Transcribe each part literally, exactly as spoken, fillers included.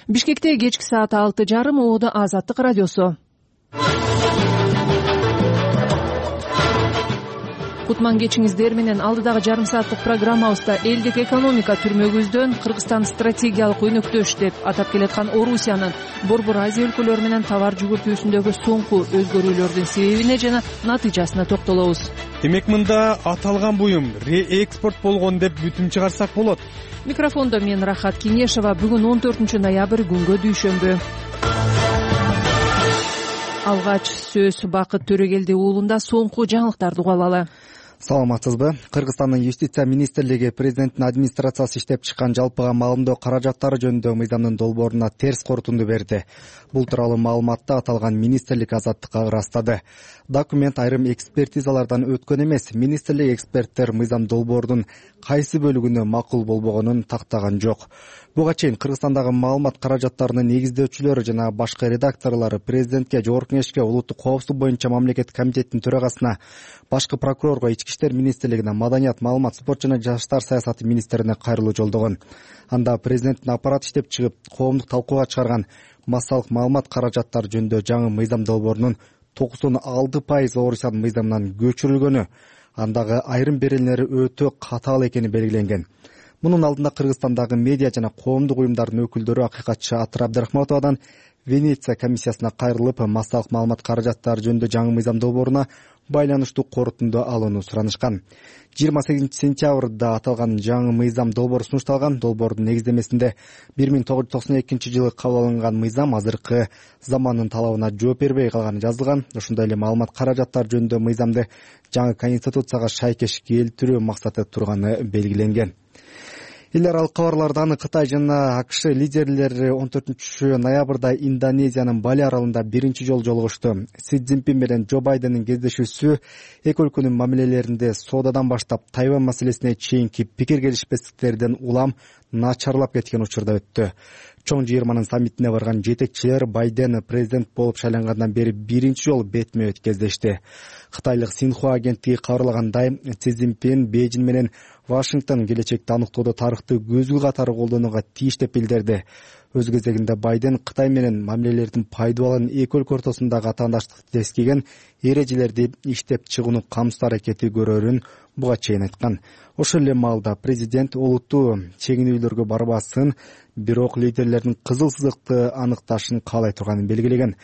Бишкекте кечки саат алты жарым Оодо Азаттык радиосу. Кутман кечиңиздер менен алдыдагы жарым сааттык программабызда элдик экономика түрмөгүздөн Кыргызстан стратегиялык өнөктөш деп атап келаткан Орусиянын Борбор Азия өлкөлөрү менен товар жүгүртүүсүндөгү соңку өзгөрүүлөрдүн себебине жана натыйжасына токтолобуз. Демек мында аталган буюм реэкспорт болгон деп бүтүм чыгарсак болот. Микрофондо мен Рахат Кинешова. Бүгүн он төртүнчү ноябрь күнгө дүйшөмбү. Алгач сөз Бакыт Төрөгелди уулунда соңку жаңылыктарды угуп алалы. Саламатсызбы? Кыргызстандын Юстиция министрлиги президенттин администрациясы иштеп чыккан жалпыга маалымдоо каражаттары жөнүндө мыйзамдын долбооруна терс корутунду берди. Бул тууралуу маалыматты аталган министрлик Азаттыкка ырастады. Документ айрым экспертизалардан өткөн эмес. Министрлик эксперттер мыйзам долбоорунун кайсы бөлүгүнө макул болбогонун тактаган жок. Буга чейин Кыргызстандагы маалымат каражаттарынын негиздөөчүлөрү жана башка редакторлору президентке, Жогорку Кеңешке, улуттук коопсуздук боюнча мамлекеттик комитеттин төрагасына, башкы прокурорго, Ички иштер министрлигине, Маданият, маалымат, спорт жана жаштар саясаты министрине кайрылуу жолдогон. Анда президенттин аппараты иштеп чыгып, коомдук талкууга чыгарган массалык маалымат каражаттары жөнүндө жаңы мыйзам долбоорунун токсон алты пайыз Орусиянын мыйзамынан көчүрүлгөнү, андагы айрым беренелери өтө катаал экени белгиленген. Мунун алдында Кыргызстандагы медиа жана коомдук уюмдардын өкүлдөрү акыйкатчы Атыр Абдрахматовадан Венеция комиссиясына кайрылып, массалык маалымат каражаттары жөнүндө жаңы мыйзам долбооруна байланыштуу корутунду алууну суранышкан. жыйырма сегизинчи сентябрда аталган жаңы мыйзам долбоору сунушталган. Долбоордун негиздемесинде бир миң тогуз жүз токсон экинчи жылы кабыл алынган мыйзам азыркы замандын талабына жооп бербей калганы жазылган. Ошондой эле маалымат каражаттары жөнүндө мыйзамды жаңы конституцияга шайкеш келтирүү максаты турганы белгиленген. Эл аралык кабарлардан Кытай жана АКШ лидерлери он төртүнчү ноябрда Индонезиянын Бали аралында биринчи жолу жолугушту. Си Цзиньпин менен Джо Байдендин кездешүүсү эки өлкөнүн мамилелеринде соодадан баштап Тайвань маселесине чейинки пикир келишпестиктерден улам начарлап кеткен учурда өттү. Чоң жыйырманын саммитине барган жетекчилер Байден президент болуп шайлангандан бери биринчи жолу бетме бет кездешти. Кытайлык Синхуа агенттиги кабарлагандай, Си Цзиньпин Бейжин менен Вашингтон келечекте аныктоодо тарыхты көзгү катары колдонууга тийиш деп билдирди. Өз кезегинде Байден Кытай менен мамилелердин пайдаланын эки өлкө ортосундагы атаандаштыкты тескеген эрежелерди иштеп чыгууну камсыз аракети көрөрүн буга чейин айткан. Ошол эле маалда президент олуттуу чегинүүлөргө барбасын, бирок лидерлердин кызыл сызыкты аныкташын каалай турганын белгилеген.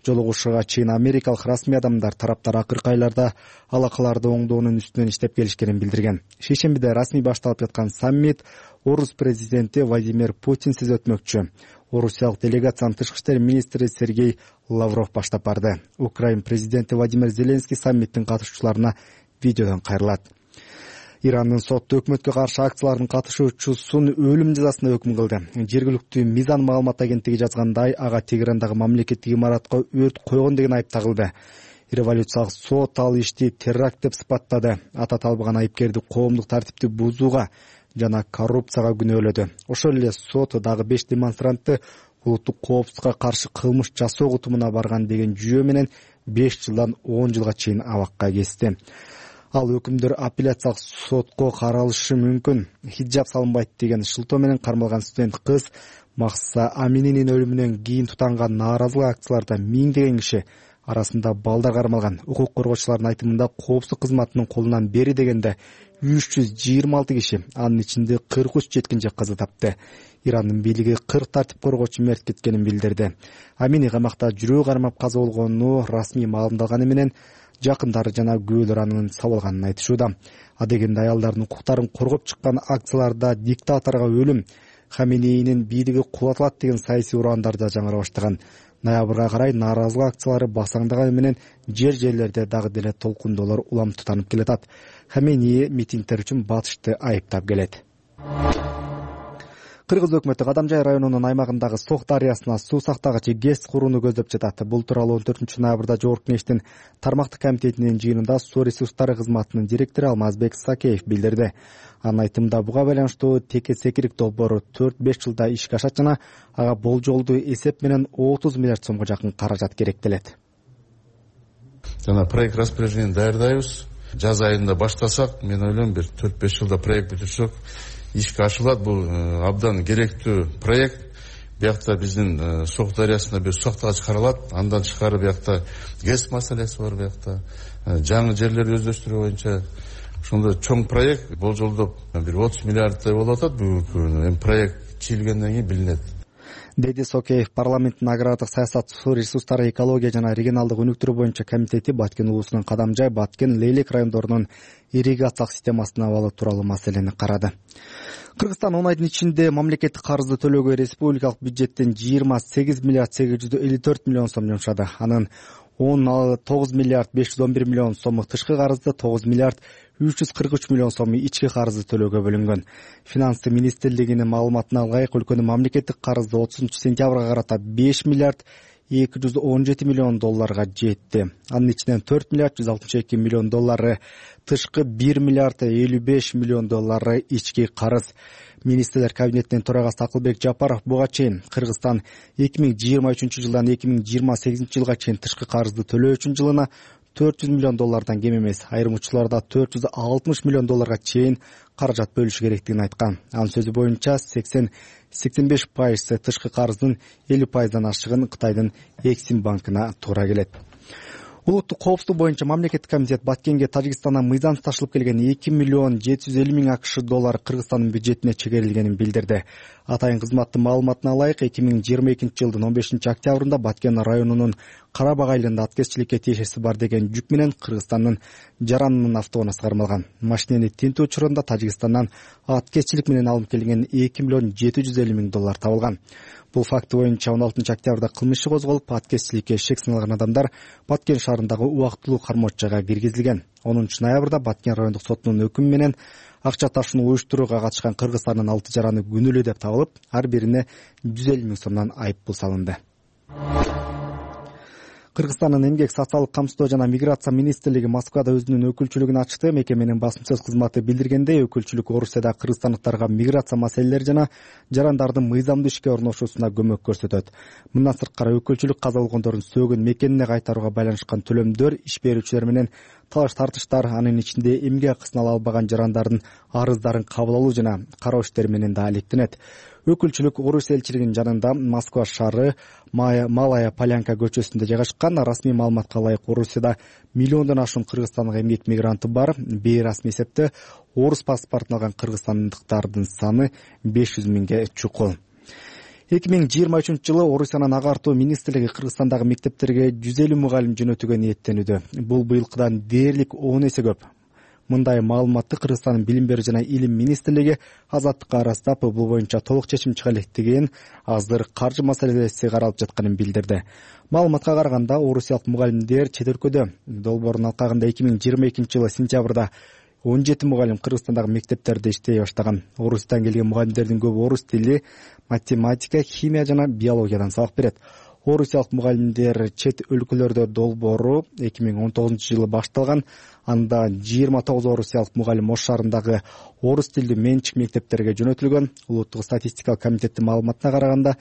Жолугушууга чейин америкалык расмий адамдар тараптар акыркы айларда алакаларды оңдоонун үстүнөн иштеп келишкенин билдирген. Шейшембиде расмий башталып жаткан саммит Орус президенти Владимир Путинсиз өтмөкчү. Орусиялык делегациянын тышкы иштер министри Сергей Лавров баштап барды. Украин президенти Владимир Зеленский саммиттин катышуучуларына видеодон кайрылат. Ирандын соту өкмөткө каршы акциялардын катышуучусун өлүм жазасына өкүм кылды. Жергиликтүү Мизан маалымат агенттиги жазгандай, ага Тегерандагы мамлекеттик имаратка өрт койгон деген айып тагылды. Революциялык сот ал ишти теракт деп сыпаттады. Ата талбаган айыпкерди коомдук тартипти бузууга жана коррупцияга күнөөлөдү. Ошол эле сот дагы беш демонстрантты улуттук коопсуздукка каршы кылмыш жасоо кутумуна барган деген жүйө менен беш жылдан он жылга чейин абакка кести. Ал өкүмдөр апелляциялык сотко каралышы мүмкүн. Хиджаб салынбайт деген шылтоо менен кармалган студент кыз Махса Амининин өлүмүнөн кийин тутанган нааразылык акцияларда миңдеген киши, арасында балдар кармалган. Укук коргоочулардын айтымында коопсуздук кызматынын колунан бери дегенде үч жүз жыйырма алты киши, анын ичинде кырк үч жеткинчек каза тапты. Ирандын бийлиги кырк тартип коргоочу мерт кеткенин билдирди. Амини камакта жүрөө кармап каза болгону расмий маалымдалганы менен жакындары жана күбөлөр анын сабалганын айтышууда. Адегенде аялдардын укуктарын коргоп чыккан акцияларда диктаторго өлүм, Хаменейнин бийлиги кулатылат деген саясий ураандар да жаңыра баштаган. Ноябрга карай нааразылык акциялары басаңдаганы менен жер жерлерде дагы деле толкундоолор улам тутанып келатат. Хаменей митингдер үчүн батышты айыптап келет. Кыргыз өкмөтү Кадамжай районунун аймагындагы Сок дарыясына суу сактагыч ГЭС курууну көздөп жатат. Бул тууралуу он төртүнчү ноябрда Жогорку Кеңештин тармактык комитетинин жыйынында суу ресурстары кызматынын директору Алмазбек Сакеев билдирди. Анын айтымында буга байланыштуу теке секирик долбоору төрт беш жылда ишке ашат жана ага болжолдуу эсеп менен отуз миллиард сомго жакын каражат керектелет. Жана проект распоряжение даярдайбыз. Жаз айында баштасак, мен ойлойм бир төрт беш жылда проект бүтүрсөк ишке ашылат. Бул абдан керектүү проект. биякта биздин Сок дарыясында бир суактагы чыгарылат. Андан тышкары биякта ГЭС маселеси бар, биякта жаңы жерлерди өздөштүрүү боюнча ошондой чоң проект болжолдоп бир отуз миллиардтай болуп атат. Бүгүнкү күнү эми проект чийилгенден кийин билинет, деди Сокеев. Парламенттин агрардык саясат, суу ресурстары, экология жана регионалдык өнүктүрүү боюнча комитети Баткен уулусунун Кадамжай, Баткен, Лейлек райондорунун ирригациялык системасын абалы тууралуу маселени карады. Кыргызстан он айдын ичинде мамлекеттик карызды төлөөгө республикалык бюджеттен жыйырма сегиз миллиард сегиз жүз элүү төрт миллион сом жумшады. Анын он тогуз миллиард беш жүз он бир миллион сому тышкы карызды, тогуз миллиард үч жүз кырк үч миллион сому ички карызды төлөөгө бөлүнгөн. Финансы министрлигинин маалыматына ылайык өлкөнүн мамлекеттик карызды отузунчу сентябрга карата беш миллиард эки жүз он жети миллион долларга жетти. Анын ичинен төрт миллиард жүз алтымыш эки миллион доллары тышкы, бир миллиард элүү беш миллион доллары ички карыз. Министрлер кабинетинин төрагасы Акылбек Жапаров буга чейин Кыргызстан эки миң жыйырма үчүнчү жылдан эки миң жыйырма сегизинчи жылга чейин тышкы карызды төлөө үчүн жылына төрт жүз миллион доллардан кем эмес, айрым учурларда төрт жүз алтымыш миллион долларга чейин каражат бөлүшү керектигин айткан. Анын сөзү боюнча сексен сексен беш пайызы тышкы карыздын элүү пайыздан ашыгын Кытайдын Эксим банкына туура келет. Улуттук коопсуздук боюнча мамлекеттик комитет Баткенге Тажикстандан мыйзам ташылып келген эки миллион жети жүз элүү миң АКШ доллары Кыргызстандын бюджетине чегерилгенин билдирди. Атайын кызматтын маалыматына ылайык эки миң жыйырма экинчи жылдын он бешинчи октябрында Баткен районунун Карабак айылында аткезчиликке тиешеси бар деген жүк менен Кыргызстандын Жаранынын автобусуна кармалган. Машинени тинтүү учурунда Тажикстандан аткезчилик менен алынып келген эки миллион жети жүз элүү миң доллар табылган. Бул факты боюнча он алтынчы октябрда кылмыш иши козголуп, аткезчиликке шек саналган адамдар Баткен шаарындагы убактылуу кармоочага киргизилген. онунчу ноябрда Баткен райондук сотунун өкүмү менен акча ташууну уюштурууга катышкан Кыргызстандын алты жараны күнөөлүү деп табылып, ар бирине жүз элүү миң сомдон айып пул салынды. Кыргызстандын эмгек, социалдык камсыздоо жана миграция министрлиги Москвада өзүнүн өкүлчүлүгүн ачты. Мекеменин басмачыл кызматы билдиргендей, өкүлчүлүк Орусияда кыргызстандыктарга миграция маселелери жана жарандардын мыйзамдуу ишке орношуусуна көмөк көрсөтөт. Мындан сырткары өкүлчүлүк каза болгондордун сөөгүн мекенине кайтарууга байланышкан төлөмдөр, иш берүүчүлөр менен талаш тартыштар, анын ичинде эмгек акысын ала албаган жарандардын арыздарын кабыл алуу жана кароо иштери менен да алектенет. Өкүлчүлүк Орус элчилигинин жанында Москва шаары Малая Полянка көчөсүндө жайгашкан. Расмий маалыматка ылайык Орусияда миллиондон ашуун кыргызстандык эмгек мигранты бар. Бейрасмий эсепте орус паспортун алган кыргызстандыктардын саны беш жүз миңге чукул. эки миң жыйырма үчүнчү жылы Орусиянын агартуу министрлиги Кыргызстандагы мектептерге жүз элүү мугалим жөнөтүүгө ниеттенүүдө. Бул быйылкыдан дээрлик он эсе көп. Мындай маалыматты Кыргызстандын билим берүү жана илим министрлиги Азаттыкка арастап, бул боюнча толук чечим чыга электигин, азыр каржы маселеси каралып жатканын билдирди. Маалыматка караганда, орусиялык мугалимдер чет өлкөдө. Долбоордун алкагында эки миң жыйырма экинчи жылы сентябрда он жети мугалим Кыргызстандагы мектептерде иштей баштаган. Орустан келген мугалимдердин көбү орус тили, математика, химия жана биологиядан сабак берет. Орусиялык мугалимдер чет өлкөлөрдө долбоору эки миң он тогузунчу жылы башталган. Анда жыйырма тогуз орусиялык мугалим Ош шаарындагы орус тилдүү менчик мектептерге жөнөтүлгөн. Улуттук статистикалык комитеттин маалыматына караганда,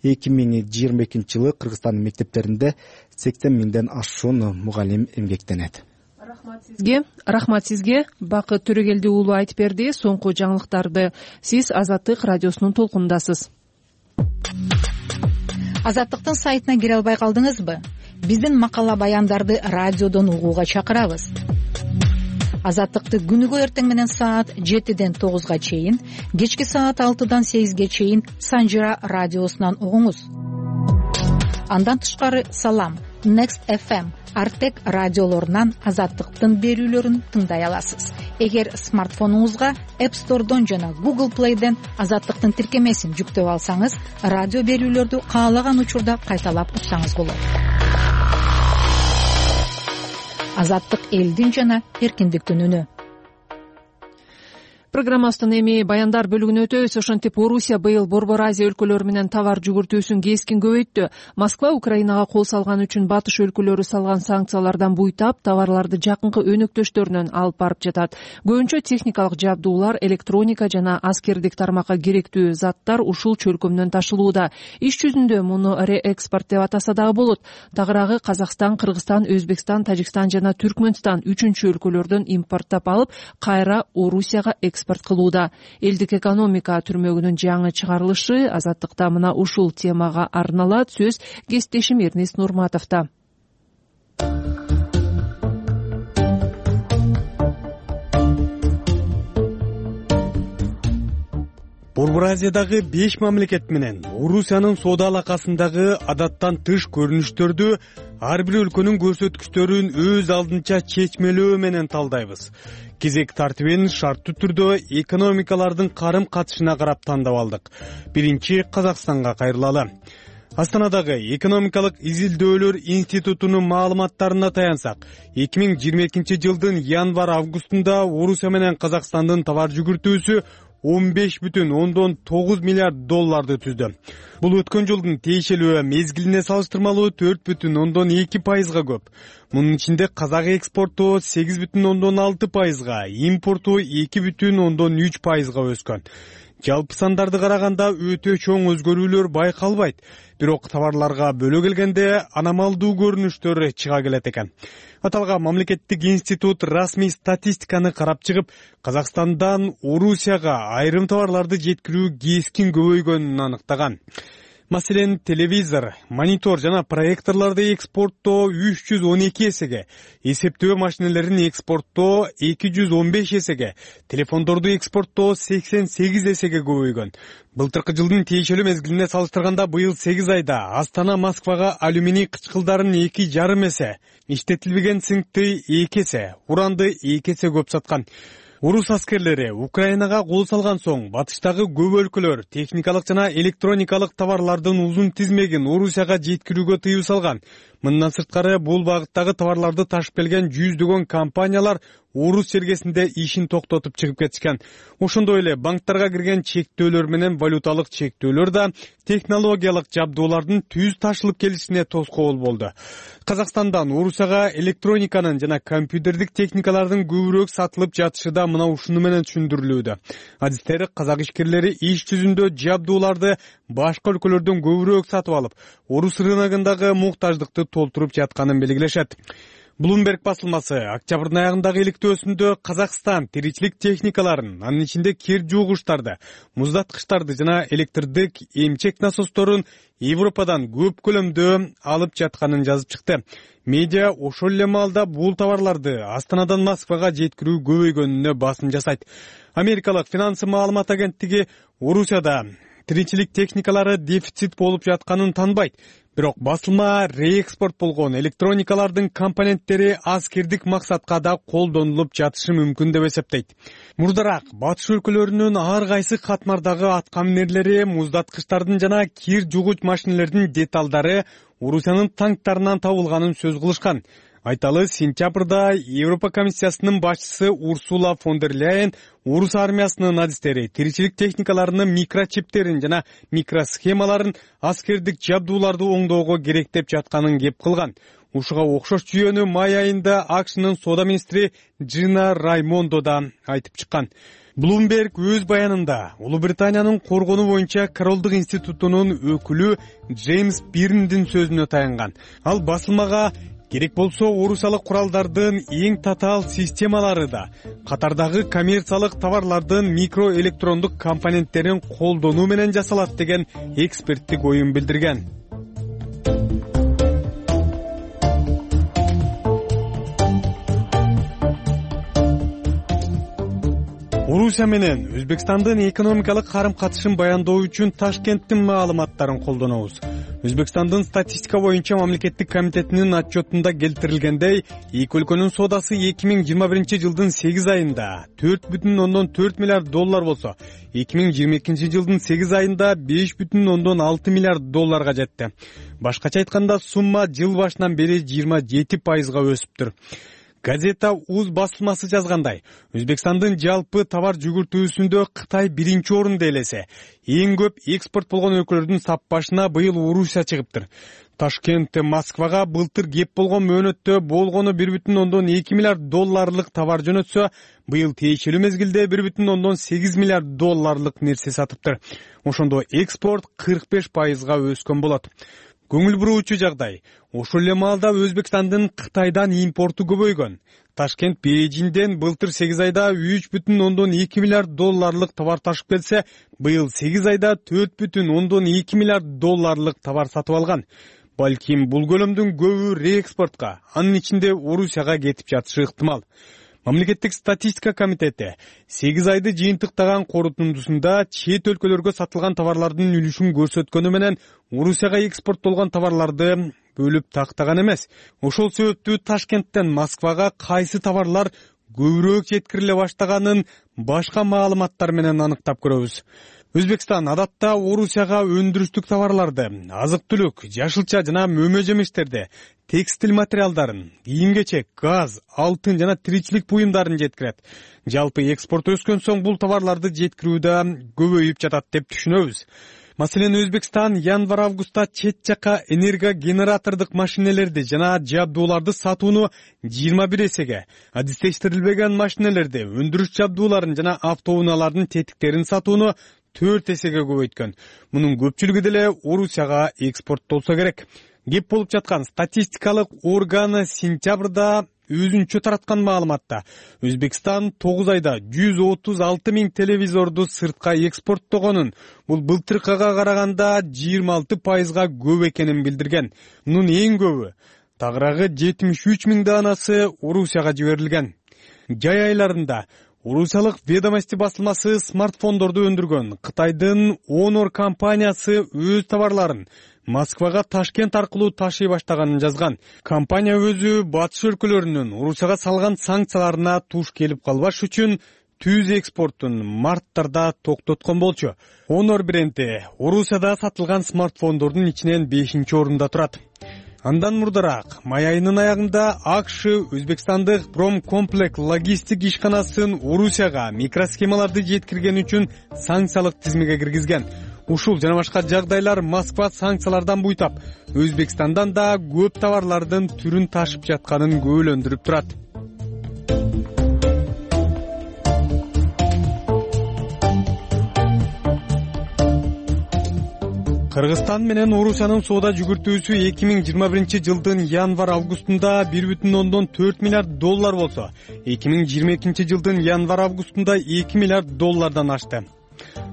эки миң жыйырма экинчи жылы Кыргызстандын мектептеринде сексен миңден ашуун мугалим эмгектенет. Рахмат сизге. Рахмат сизге. Бакыт Төрөгелди уулу айтып берди. Соңку жаңылыктарды сиз Азаттык радиосунун толкунундасыз. Азаттыктын сайтына кире албай калдыңызбы? Биздин макала баяндарды радиодон угууга чакырабыз. Азаттыкты күнүгө эртең менен саат жетиден тогузга чейин, кечки саат алтыдан сегизге чейин Санжира радиосунан угуңуз. Андан тышкары Салам, Next эф эм, Артек радиолорунан Азаттыктын берүүлөрүн тыңдай аласыз. Эгер смартфонуңузга App Store'дон жана Google Play'ден Азаттыктын тиркемесин жүктөп алсаңыз, радио берүүлөрдү каалаган учурда кайталап уксаңыз болот. Азаттык элдин жана эркиндиктин үнү. Программабыздын эми баяндар бөлүгүнө өтөбүз. Ошентип Орусия быйыл Борбор Азия өлкөлөрү менен товар жүгүртүүсүн кескин көбөйттү. Москва Украинага кол салган үчүн батыш өлкөлөрү салган санкциялардан буйтап, товарларды жакынкы өнөктөштөрүнөн алып барып жатат. Көбүнчө техникалык жабдуулар, электроника жана аскердик тармакка керектүү заттар ушул чөлкөмдөн ташылууда. Иш жүзүндө муну реэкспорт деп атаса дагы болот. Тагыраагы Казакстан, Кыргызстан, Өзбекстан, Тажикстан жана Түркмөнстан үчүнчү өлкөлөрдөн импорттоп алып, кайра Орусияга экспорт экспорт кылууда. Элдик экономика түрмөгүнүн жаңы чыгарылышы Азаттыкта мына ушул темага арналат. Сөз кесиптешим Эрнест Нурматовдо. Борбор Азиядагы беш мамлекет менен Орусиянын соода алакасындагы адаттан тыш көрүнүштөрдү ар бир өлкөнүн көрсөткүчтөрүн өз алдынча чечмелөө менен талдайбыз. Кезек тартибин шарттуу түрдө экономикалардын карым катышына карап тандап алдык. Биринчи Казакстанга кайрылалы. Астанадагы экономикалык изилдөөлөр институтунун маалыматтарына таянсак, эки миң жыйырма экинчи жылдын январь-августунда Орусия менен Казакстандын товар жүгүртүүсү он беш бүтүн ондон тогуз миллиард долларды түздү. Бул өткөн жылдын тиешелүү мезгилине салыштырмалуу төрт бүтүн ондон эки пайызга көп. Мунун ичинде казак экспорту сегиз бүтүн ондон алты пайызга, импорту эки бүтүн ондон үч пайызга өскөн. Жалпы сандарды караганда өтө чоң өзгөрүүлөр байкалбайт, бирок товарларга бөлө келгенде аномалдуу көрүнүштөр чыга келет экен. Аталган мамлекеттик институт расмий статистиканы карап чыгып, Казакстандан Орусияга айрым товарларды жеткирүү кескин көбөйгөнүн аныктаган. Маселен, телевизор, монитор жана проекторлорду экспорттоо үч жүз он эки эсеге, эсептөө машиналерин экспорттоо эки жүз он беш эсеге, телефондорду экспорттоо сексен сегиз эсеге көбөйгөн. Былтыркы жылдын тиешелүү мезгилине салыштырганда быйыл сегиз айда Астана Москвага алюминий кычкылдарын эки жарым эсе, иштетилбеген цинкти эки эсе, уранды эки эсе көп саткан. Орус аскерлери Украинага кол салган соң батыштагы көп өлкөлөр техникалык жана электроникалык товарлардын узун тизмегин Орусияга жеткирүүгө тыюу салган. Мындан сырткары бул багыттагы товарларды ташып келген жүздөгөн компаниялар Орус чергесинде ишин токтотуп чыгып кетишкен. Ошондой эле банктарга кирген чектөөлөр менен валюталык чектөөлөр да технологиялык жабдуулардын түз ташылып келишине тоскоол болду. Казакстандан Орусияга электрониканын жана компьютердик техникалардын көбүрөөк сатылып жатышы да мына ушуну менен түшүндүрүлүүдө. Адистер казак ишкерлери иш жүзүндө жабдууларды башка өлкөлөрдөн көбүрөөк сатып алып, Орус рыногундагы муктаждыкты толтуруп жатканын белгилешет. Bloomberg басылмасы октябрдын аягындагы иликтөөсүндө Казакстан тиричилик техникаларын, анын ичинде кир жуугучтарды, муздаткычтарды жана электрдик эмчек насосторун Европадан көп көлөмдө алып жатканын жазып чыкты. Медиа ошол эле маалда бул товарларды Астанадан Москвага жеткирүү көбөйгөнүнө басым жасайт. Америкалык финансы маалымат агенттиги Орусияда тиричилик техникалары дефицит болуп жатканын танбайт. Бирок басылма реэкспорт болгон электроникалардын компоненттери аскердик максатка да колдонулуп жатышы мүмкүн деп эсептейт. Мурдараак батыш өлкөлөрүнүн ар кайсы катмардагы аткаминерлери, муздаткычтардын жана кир жугуч машиналердин деталдары Орусиянын танктарынан табылганын сөз кылышкан. Айталы, сентябрда Европа комиссиясынын башчысы Урсула фон дер Ляйен Орус армиясынын адистери тиричилик техникаларынын микрочиптерин жана микросхемаларын аскердик жабдууларды оңдоого керек деп жатканын кеп кылган. Ушуга окшош жүйөнү май айында АКШнын соода министри Джина Раймондо да айтып чыккан. Bloomberg өз баянында Улуу Британиянын коргонуу боюнча Королдук институтунун өкүлү Джеймс Бирндин сөзүнө таянган. Ал басылмага керек болсо орусиялык куралдардын эң татаал системалары да катардагы коммерциялык товарлардын микроэлектрондук компоненттерин колдонуу менен жасалат деген эксперттик оюн билдирген. Орусия менен Өзбекстандын экономикалык карым катышын баяндоо үчүн Ташкенттин маалыматтарын колдонобуз. Өзбекстандын статистика боюнча мамлекеттик комитетинин отчетунда келтирилгендей, эки өлкөнүн соодасы эки миң жыйырма биринчи жылдын сегиз айында төрт бүтүн ондон төрт миллиард доллар болсо, эки миң жыйырма экинчи жылдын сегиз айында беш бүтүн ондон алты миллиард долларга жетти. Башкача айтканда, сумма жыл башынан бери жыйырма жети пайызга өсүптүр. Газета УЗ басылмасы жазгандай, Өзбекстандын жалпы товар жүгүртүүсүндө Кытай биринчи орунда элесе, эң көп экспорт болгон өлкөлөрдүн саппашына быйыл Орусия чыгыптыр. Ташкент Москвага былтыр кеп болгон мөөнөттө болгону бир бүтүн ондон эки миллиард долларлык товар жөнөтсө, быйыл тиешелүү мезгилде бир бүтүн ондон сегиз миллиард долларлык нерсе сатыптыр. Ошондо экспорт кырк беш пайызга өскөн болот. көңүл буруучу жагдай. Ошол эле маалда Өзбекстандын Кытайдан импорту көбөйгөн. Ташкент Бейжиңден былтыр сегиз айда үч бүтүн ондон эки миллиард долларлык товар ташып келсе, быйыл сегиз айда төрт бүтүн ондон эки миллиард долларлык товар сатып алган. Балким бул көлөмдүн көбү реэкспортко, анын ичинде Орусияга кетип жатышы ыктымал. Мамлекеттик статистика комитети сегиз айды жыйынтыктаган корутундусунда чет өлкөлөргө сатылган товарлардын үлүшүн көрсөткөнү менен Орусияга экспорттолгон товарларды бөлүп тактаган эмес. Ошол себептүү Ташкенттен Москвага кайсы товарлар көбүрөөк жеткириле баштаганын башка маалыматтар менен аныктап көрөбүз. Өзбекстан адатта Орусияга өндүрүштүк товарларды, азык-түлүк, жашылча жана мөмө жемиштерди, текстиль материалдарын, кийим-кечек, газ, алтын жана тиричилик буюмдарын жеткирет. Жалпы экспорт өскөн соң бул товарларды жеткирүү да көбөйүп жатат деп түшүнөбүз. Маселен, Өзбекстан январь-августта чет жака энергогенератордук машинелерди жана жабдууларды сатууну жыйырма бир эсеге, адистештирилбеген машинелерди, өндүрүш жабдууларын жана автоунаалардын тетиктерин сатууну төрт эсеге көбөйткөн. Мунун көпчүлүгү деле Орусияга экспорттолсо керек. Кеп болуп жаткан статистикалык органы сентябрда өзүнчө тараткан маалыматта Өзбекстан тогуз айда жүз отуз алты миң телевизорду сыртка экспорттогонун, бул былтыркыга караганда жыйырма алты пайызга көп экенин билдирген. Мунун эң көбү, тагыраагы жетимиш үч миң даанасы Орусияга жиберилген. Жай айларында Орусиялык Ведомости басылмасы смартфондорду өндүргөн Кытайдын Honor компаниясы өз товарларын Москвага Ташкент аркылуу ташый баштаганын жазган. Компания өзү батыш өлкөлөрүнүн Орусияга салган санкцияларына туш келип калбаш үчүн түз экспортун марттарда токтоткон болчу. Honor бренди Орусияда сатылган смартфондордун ичинен бешинчи орунда турат. Андан мурдараак май айынын аягында АКШ Өзбекстандык Промкомплект логистик ишканасын Орусияга микросхемаларды жеткирген үчүн санкциялык тизмеге киргизген. Ушул жана башка жагдайлар Москва санкциялардан буйтап, Өзбекстандан да көп товарлардын түрүн ташып жатканын көбөлөндүрүп турат. Кыргызстан менен Орусиянын соода жүгүртүүсү эки миң жыйырма биринчи жылдын январь-августунда бир бүтүн ондон төрт миллиард доллар болсо, эки миң жыйырма экинчи жылдын январь-августунда эки миллиард доллардан ашты.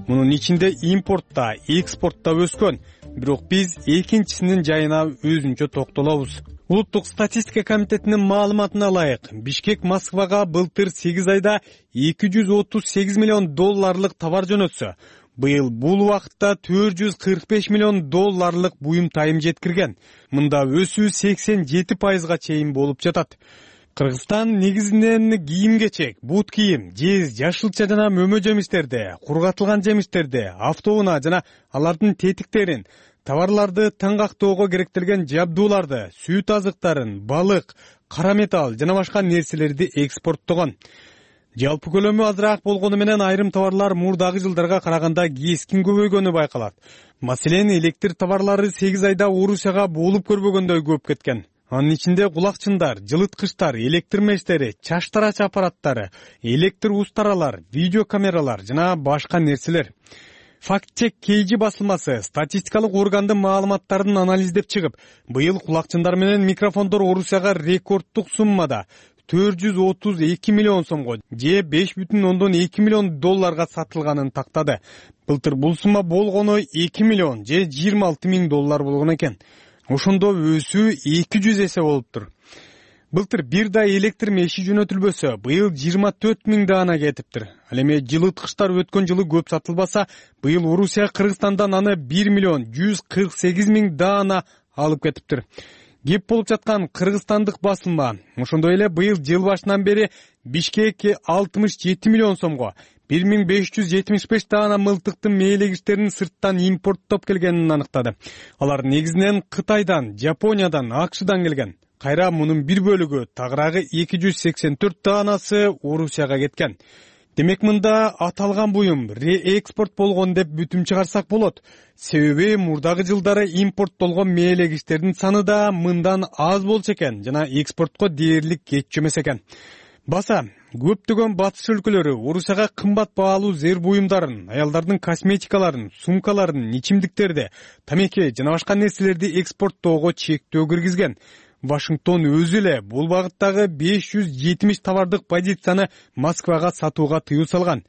Мунун ичинде импортта, экспортто өскөн, бирок биз экинчисинин жайына өзүнчө токтолобуз. Улуттук статистика комитетинин маалыматына ылайык, Бишкек Москвага былтыр сегиз айда эки жүз отуз сегиз миллион долларлык товар жөнөтсө, быйыл бул убакытта төрт жүз кырк беш миллион долларлык буюм тайым жеткирген. Мында өсүү сексен жети пайызга чейин болуп жатат. Кыргызстан негизинен кийим-кечек, бут кийим, жез, жашылча жана мөмө жемиштерди, кургатылган жемиштерди, автоунаа жана алардын тетиктерин, товарларды таңгактоого керектелген жабдууларды, сүт азыктарын, балык, кара металл жана башка нерселерди экспорттогон. Жалпы көлөмү азыраак болгону менен айрым товарлар мурдагы жылдарга караганда кескин көбөйгөнү байкалат. Маселен, электр товарлары сегиз айда Орусияга болуп көрбөгөндөй көп кеткен. Анын ичинде кулакчындар, жылыткычтар, электр мештери, чач тарач аппараттары, электр устаралар, видеокамералар жана башка нерселер. Факт-чек Кейжи басылмасы статистикалык органдын маалыматтарын анализдеп чыгып, быйыл кулакчындар менен микрофондор Орусияга рекорддук суммада төрт жүз отуз эки миллион сомго же беш бүтүн ондон эки миллион долларга сатылганын тактады. Былтыр бул сумма болгону эки миллион же жыйырма алты миң доллар болгон экен. Ошондо өсүү эки жүз эсе болуптур. Былтыр бир да электр меши жөнөтүлбөсө, быйыл жыйырма төрт миң даана кетиптир. Ал эми жылыткычтар өткөн жылы көп сатылбаса, быйыл Орусия Кыргызстандан аны бир миллион жүз кырк сегиз миң даана алып кетиптир. Кеп болуп жаткан кыргызстандык басылма ошондой эле быйыл жыл башынан бери Бишкек алтымыш жети миллион сомго бир миң беш жүз жетимиш беш даана мылтыктын мээлегичтерин сырттан импорттоп келгенин аныктады. Алар негизинен Кытайдан, Жапониядан, АКШдан келген. Кайра мунун бир бөлүгү, тагыраагы эки жүз сексен төрт даанасы Орусияга кеткен. Демек, мында аталган буюм реэкспорт болгон деп бүтүм чыгарсак болот. Себеби мурдагы жылдары импорттолгон мээлегичтердин саны да мындан аз болчу экен жана экспортко дээрлик кетчү эмес экен. Баса, көптөгөн батыш өлкөлөрү Орусияга кымбат баалуу зер буюмдарын, аялдардын косметикаларын, сумкаларын, ичимдиктерди, тамеки жана башка нерселерди экспорттоого чектөө киргизген. Вашингтон өзү эле бул багыттагы беш жүз жетимиш товардык позицияны Москвага сатууга тыюу салган.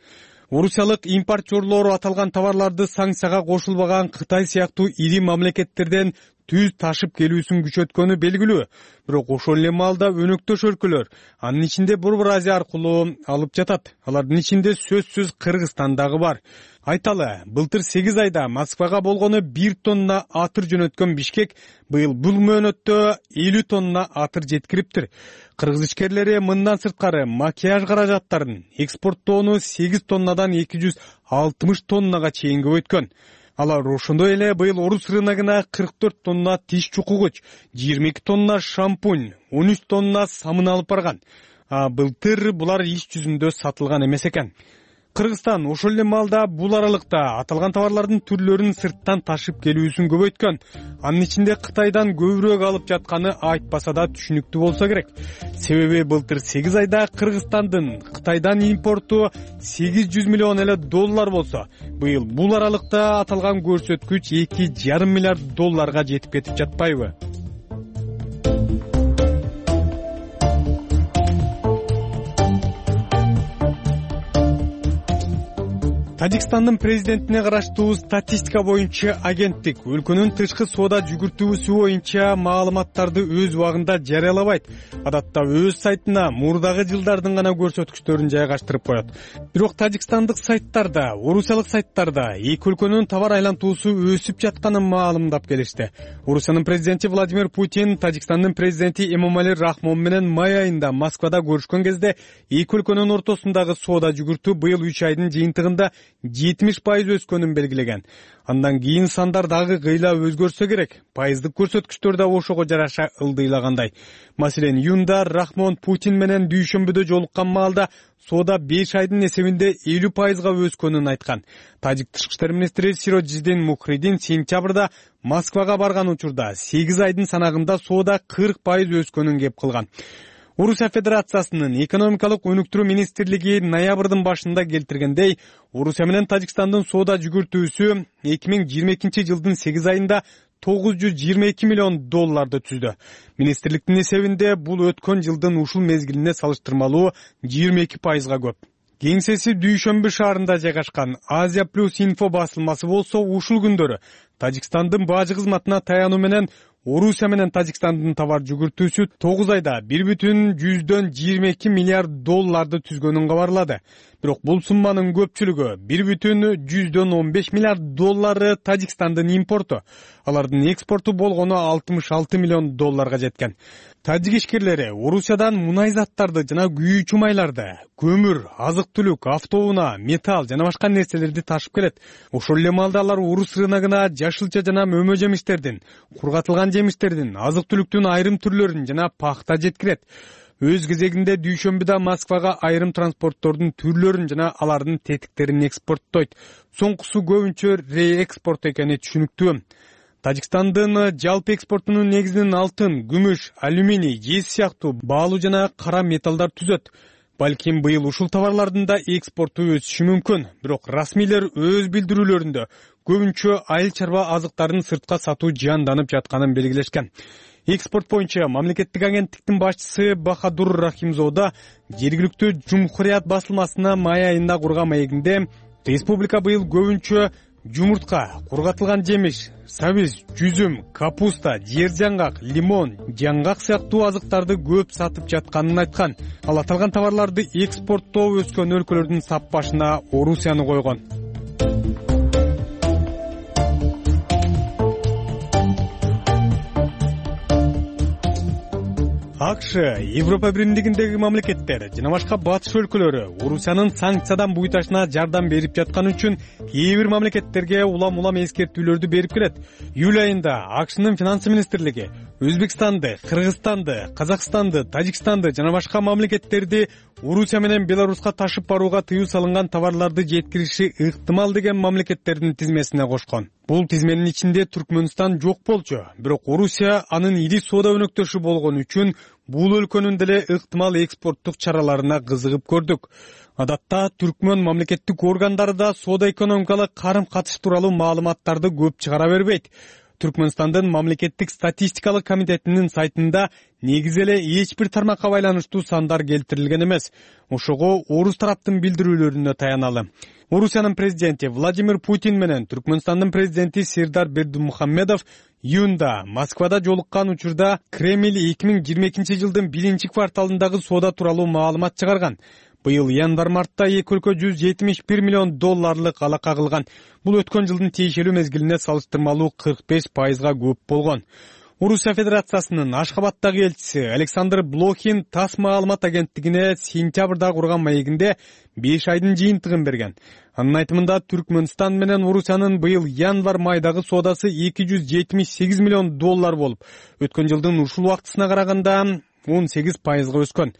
Орусиялык импортерлор аталган товарларды санкцияга кошулбаган Кытай сыяктуу ири мамлекеттерден түз ташып келүүсүн күчөткөнү белгилүү. Бирок ошол эле маалда өнөктөш өлкөлөр, анын ичинде Борбор Азия аркылуу алып жатат. Алардын ичинде сөзсүз Кыргызстан дагы бар. Айталы, былтыр сегиз айда Москвага болгону бир тонна атыр жөнөткөн Бишкек быйыл бул мөөнөттө элүү тонна атыр жеткириптир. Кыргыз ишкерлери мындан сырткары макияж каражаттарын экспорттоону сегиз тоннадан эки жүз алтымыш тоннага чейин көбөйткөн. Алар ошондой эле быйыл орус рыногуна кырк төрт тонна тиш чукугуч, жыйырма эки тонна шампунь, он үч тонна самын алып барган. А былтыр булар иш жүзүндө сатылган эмес экен. Кыргызстан ошол эле маалда бул аралыкта аталган товарлардын түрлөрүн сырттан ташып келүүсүн көбөйткөн. Анын ичинде Кытайдан көбүрөөк алып жатканы айтпаса да түшүнүктүү болсо керек. Себеби былтыр сегиз айда Кыргызстандын Кытайдан импорту сегиз жүз миллион эле доллар болсо, быйыл бул аралыкта аталган көрсөткүч эки жарым миллиард долларга жетип кетип жатпайбы? Тажикстандын президентине караштуу статистика боюнча агенттик өлкөнүн тышкы соода жүгүртүүсү боюнча маалыматтарды өз убагында жарыялабайт. Адатта өз сайтына мурдагы жылдардын гана көрсөткүчтөрүн жайгаштырып коет. Бирок тажикстандык сайттарда, орусиялык сайттарда эки өлкөнүн товар айлантуусу өсүп жатканын маалымдап келишти. Орусиянын президенти Владимир Путин Тажикстандын президенти Эмомали Рахмон менен май айында Москвада көрүшкөн кезде эки өлкөнүн ортосундагы соода жүгүртүү быйыл үч айдын жыйынтыгында жетимиш пайыз өскөнүн белгилеген. Андан кийин сандар дагы кыйла өзгөрсө керек. Пайыздык көрсөткүчтөр да ошого жараша ылдыйлагандай. Маселен, июнда Рахмон Путин менен дүйшөмбүдө жолуккан маалда соода беш айдын эсебинде элүү пайызга өскөнүн айткан. Тажик тышкы иштер министри Сироджидин Мухридин сентябрда Москвага барган учурда сегиз айдын санагында соода кырк пайыз өскөнүн кеп кылган. Орусия Федерациясынын экономикалык өнүктүрүү министрлиги ноябрдын башында келтиргендей, Орусия менен Тажикстандын соода жүгүртүүсү эки миң жыйырма экинчи жылдын сегиз айында тогуз жүз жыйырма эки миллион долларды түздү. Министрликтин эсебинде бул өткөн жылдын ушул мезгилине салыштырмалуу жыйырма эки пайызга көп. Кеңсеси Дүйшөмбү шаарында жайгашкан Азия плюс инфо басылмасы болсо ушул күндөрү Тажикстандын бажы кызматына таянуу менен Орусия менен Тажикстандын товар жүгүртүүсү тогуз айда бир бүтүн жүздөн жыйырма эки миллиард долларды түзгөнүн кабарлады. Бирок бул сумманын көпчүлүгү бир бүтүн жүздөн он беш миллиард доллары Тажикстандын импорту. Алардын экспорту болгону алтымыш алты миллион долларга жеткен. Тажик ишкерлери Орусиядан мунай заттарды жана күйүүчү майларды, көмүр, азык-түлүк, автоунаа, металл жана башка нерселерди ташып келет. Ошол эле маалда алар орус рыногуна жашылча жана мөмө жемиштердин, кургатылган жемиштердин, азык-түлүктүн айрым түрлөрүн жана пахта жеткирет. Өз кезегинде дүйшөмбүдө Москвага айрым транспорттордун түрлөрүн жана алардын тетиктерин экспорттойт. Соңкусу көбүнчө реэкспорт экени түшүнүктүү. Тажикстандын жалпы экспортунун негизин алтын, күмүш, алюминий, жез сыяктуу баалуу жана кара металлдар түзөт. Балким быйыл ушул товарлардын да экспорту өсүшү мүмкүн. Бирок расмийлер өз билдирүүлөрүндө көбүнчө айыл чарба азыктарын сыртка сатуу жанданып жатканын белгилешкен. Экспорт боюнча мамлекеттик агенттиктин башчысы Бахадур Рахимзода жергиликтүү Жумхурият басылмасына май айында курган маегинде республика быйыл көбүнчө жумуртка, кургатылган жемиш, сабиз, жүзүм, капуста, жер жаңгак, лимон, жаңгак сыяктуу азыктарды көп сатып жатканын айткан. Ал аталган товарларды экспорттоо өскөн өлкөлөрдүн сап башына Орусияны койгон. АКШ, Европа биримдигиндеги мамлекеттер жана башка батыш өлкөлөрү Орусиянын санкциядан буйташына жардам берип жатканы үчүн кээ бир мамлекеттерге улам-улам эскертүүлөрдү берип келет. Июль айында АКШнын финансы министрлиги Өзбекстанды, Кыргызстанды, Казакстанды, Тажикстанды жана башка мамлекеттерди Орусия менен Беларуска ташып барууга тыюу салынган товарларды жеткириши ыктымал деген мамлекеттердин тизмесине кошкон. Бул тизменин ичинде Түркмөнстан жок болчу, бирок Орусия анын ири соода өнөктөшү болгон үчүн бул өлкөнүн деле ыктымал экспорттук чараларына кызыгып көрдүк. Адатта түркмөн мамлекеттик органдары да соода-экономикалык карым-катыш тууралуу маалыматтарды көп чыгара бербейт. Түркмөнстандын мамлекеттик статистикалык комитетинин сайтында негизи эле эч бир тармакка байланыштуу сандар келтирилген эмес. Ошого орус тараптын билдирүүлөрүнө таяналы. Орусиянын президенти Владимир Путин менен Түркмөнстандын президенти Сердар Бердимухамедов июнда Москвада жолуккан учурда Кремль эки миң жыйырма экинчи жылдын биринчи кварталындагы соода тууралуу маалымат чыгарган. Быйыл январь-мартта эки өлкө жүз жетимиш бир миллион долларлык алака кылган. Бул өткөн жылдын тиешелүү мезгилине салыштырмалуу кырк беш пайызга көп болгон. Орусия Федерациясынын Ашхабадтагы элчиси Александр Блохин ТАСС маалымат агенттигине сентябрда курган маегинде беш айдын жыйынтыгын берген. Анын айтымында Түркмөнстан менен Орусиянын быйыл январь-майдагы соодасы эки жүз жетимиш сегиз миллион доллар болуп, өткөн жылдын ушул убактысына караганда он сегиз пайызга өскөн.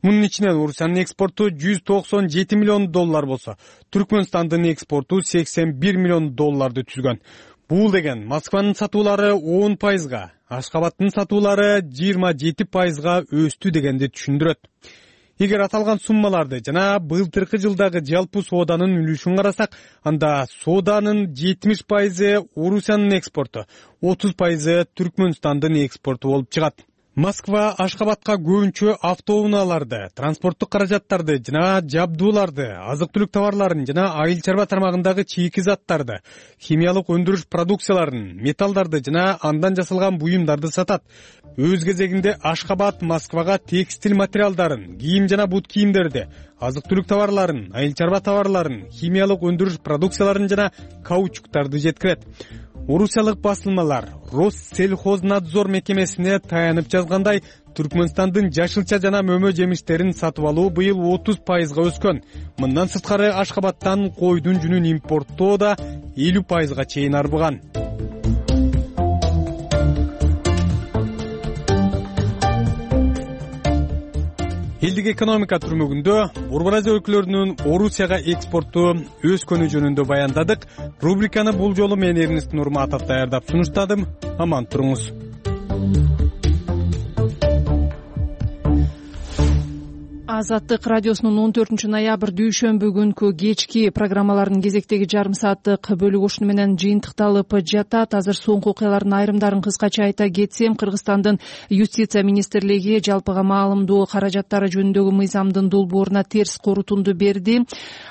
Мунун ичинен Орусиянын экспорту жүз токсон жети миллион доллар болсо, Түркмөнстандын экспорту сексен бир миллион долларды түзгөн. Бул деген Москванын сатуулары он пайызга, Ашхабадтын сатуулары жыйырма жети пайызга өстү дегенди түшүндүрөт. Эгер аталган суммаларды жана былтыркы жылдагы жалпы сооданын үлүшүн карасак, анда сооданын жетимиш пайызы Орусиянын экспорту, отуз пайызы Түркмөнстандын экспорту болуп чыгат. Москва Ашхабадка көбүнчө автоунааларды, транспорттук каражаттарды жана жабдууларды, азык-түлүк товарларын жана айыл чарба тармагындагы чийки заттарды, химиялык өндүрүш продукцияларын, металлдарды жана андан жасалган буюмдарды сатат. Өз кезегинде Ашхабад Москвага текстиль материалдарын, кийим жана бут кийимдерди, азык-түлүк товарларын, айыл чарба товарларын, химиялык өндүрүш продукцияларын жана каучуктарды жеткирет. Орусиялык басылмалар Россельхознадзор мекемесине таянып жазгандай, Түркмөнстандын жашылча жана мөмө жемиштерин сатып алуу быйыл отуз пайызга өскөн. Мындан сырткары Ашхабадтан койдун жүнүн импорттоо да элүү пайызга чейин арбыган. Элдик экономика түрмөгүндө Борбор Азия өлкөлөрүнүн Орусияга экспорту өскөнү жөнүндө баяндадык. Рубриканы бул жолу мен Эрнест Нурматов даярдап сунуштадым. Аман туруңуз. Азаттык радиосунун он төртүнчү ноябрь дүйшөмбү күнкү кечки программаларынын кезектеги жарым сааттык бөлүгү ушуну менен жыйынтыкталып жатат. Азыр соңку окуялардын айрымдарын кыскача айта кетсем, Кыргызстандын юстиция министрлиги жалпыга маалымдоо каражаттары жөнүндөгү мыйзамдын долбооруна терс корутунду берди.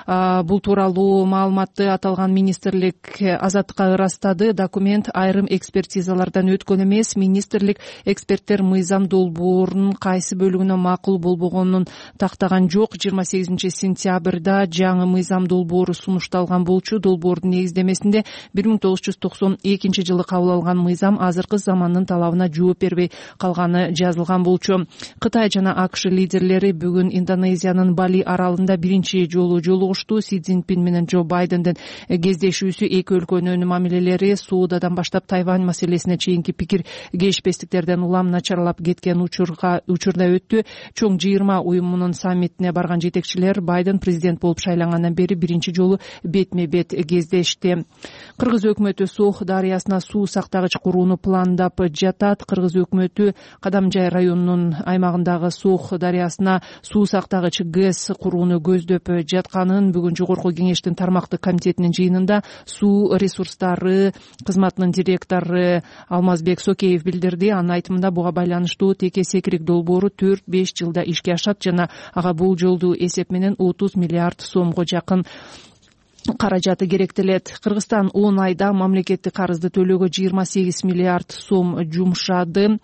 Бул тууралуу маалыматты аталган министрлик Азаттыкка ырастады. Документ айрым экспертизалардан өткөн эмес. Министрлик эксперттер мыйзам долбоорунун кайсы бөлүгүнө макул болбогонун тактаган жок. жыйырма сегизинчи сентябрда жаңы мыйзам долбоору сунушталган болчу. Долбоордун негиздемесинде бир миң тогуз жүз токсон экинчи жылы кабыл алган мыйзам азыркы замандын талабына жооп бербей калганы жазылган болчу. Кытай жана АКШ лидерлери бүгүн Индонезиянын Бали аралында биринчи жолу жолугушту. Си Цзиньпин менен Джо Байдендин кездешүүсү эки өлкөнүн мамилелери соодадан баштап Тайвань маселесине чейинки пикир кейишпестиктерден улам начарлап кеткен учурга учурда өттү. Чоң жыйырма уюмунун саммитине барган жетекчилер Байден президент болуп шайлангандан бери биринчи жолу бетме бет кездешти. Кыргыз өкмөтү Сох дарыясына суу сактагыч курууну пландап жатат. Кыргыз өкмөтү Кадамжай районунун аймагындагы Сох дарыясына суу сактагыч ГЭС курууну көздөп жатканын бүгүн жогорку кеңештин тармактык комитетинин жыйынында суу ресурстары кызматынын директору Алмазбек Сокеев билдирди. Анын айтымында буга байланыштуу теке секирик долбоору төрт беш жылда ишке ашат жана ага бул жолду эсеп менен отуз миллиард сомго жакын каражаты керектелет. Кыргызстан он айда мамлекеттик карызды төлөөгө жыйырма сегиз миллиард сом жумшады.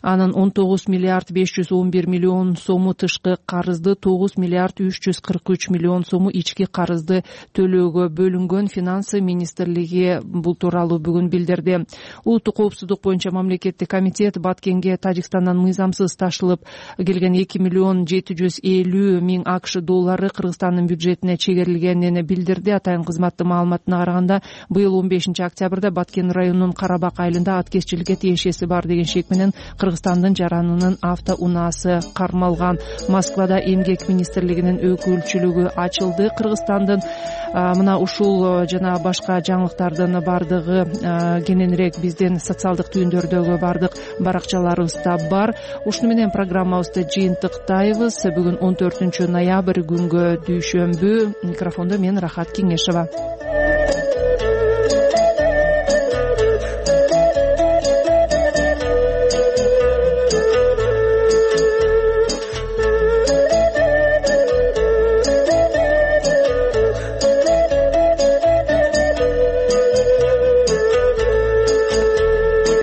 Анын он тогуз миллиард беш жүз он бир миллион сому тышкы карызды, тогуз миллиард үч жүз кырк үч миллион сому ички карызды төлөөгө бөлүнгөн. Финансы министрлиги бул тууралуу бүгүн билдирди. Улуттук коопсуздук боюнча мамлекеттик комитет Баткенге Тажикстандан мыйзамсыз ташылып келген эки миллион жети жүз элүү миң АКШ доллары Кыргызстандын бюджетине чегерилгенин билдирди. атайын кызматтын маалыматына караганда быйыл он бешинчи октябрда Баткен районунун Карабак айылында аткезчиликке тиешеси бар деген шек менен Кыргызстандын жаранынын автоунаасы кармалган. Москвада эмгек министрлигинин өкүлчүлүгү ачылды. Кыргызстандын мына ушул жана башка жаңылыктардын бардыгы кененирээк биздин социалдык түйүндөрдөгү бардык баракчаларыбызда бар. Ушуну менен программабызды жыйынтыктайбыз. Бүгүн он төртүнчү ноябрь күнгө дүйшөмбү. Микрофондо мен Рахат Кеңешова.